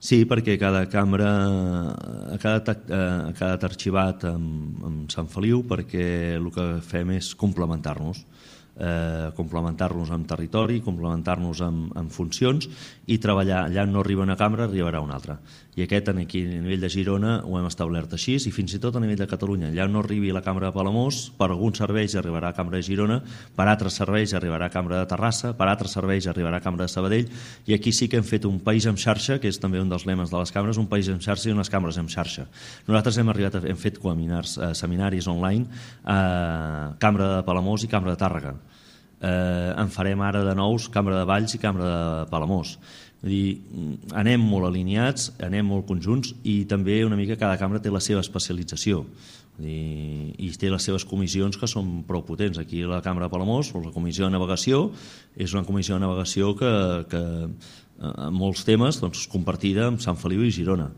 Sí, perquè cada cambra ha quedat arxivat amb Sant Feliu, perquè el que fem és complementar-nos, amb territori, complementar-nos amb funcions i treballar. Allà no arriba una cambra, arribarà una altra. I aquest aquí a nivell de Girona ho hem establert així, i fins i tot a nivell de Catalunya. Allà no arribi la cambra de Palamós, per alguns serveis arribarà a cambra de Girona, per altres serveis arribarà a cambra de Terrassa, per altres serveis arribarà a cambra de Sabadell, i aquí sí que hem fet un país en xarxa, que és també un dels lemes de les cambres, un país en xarxa i unes cambres en xarxa. Nosaltres hem fet seminaris online a Cambra de Palamós i Cambra de Tàrrega. En farem ara de nous Cambra de Valls i Cambra de Palamós. Vull dir, anem molt alineats, anem molt conjunts, i també una mica cada cambra té la seva especialització. I té les seves comissions que són prou potents. Aquí a la Cambra de Palamós, la comissió de navegació, és una comissió de navegació que en molts temes compartida amb Sant Feliu i Girona.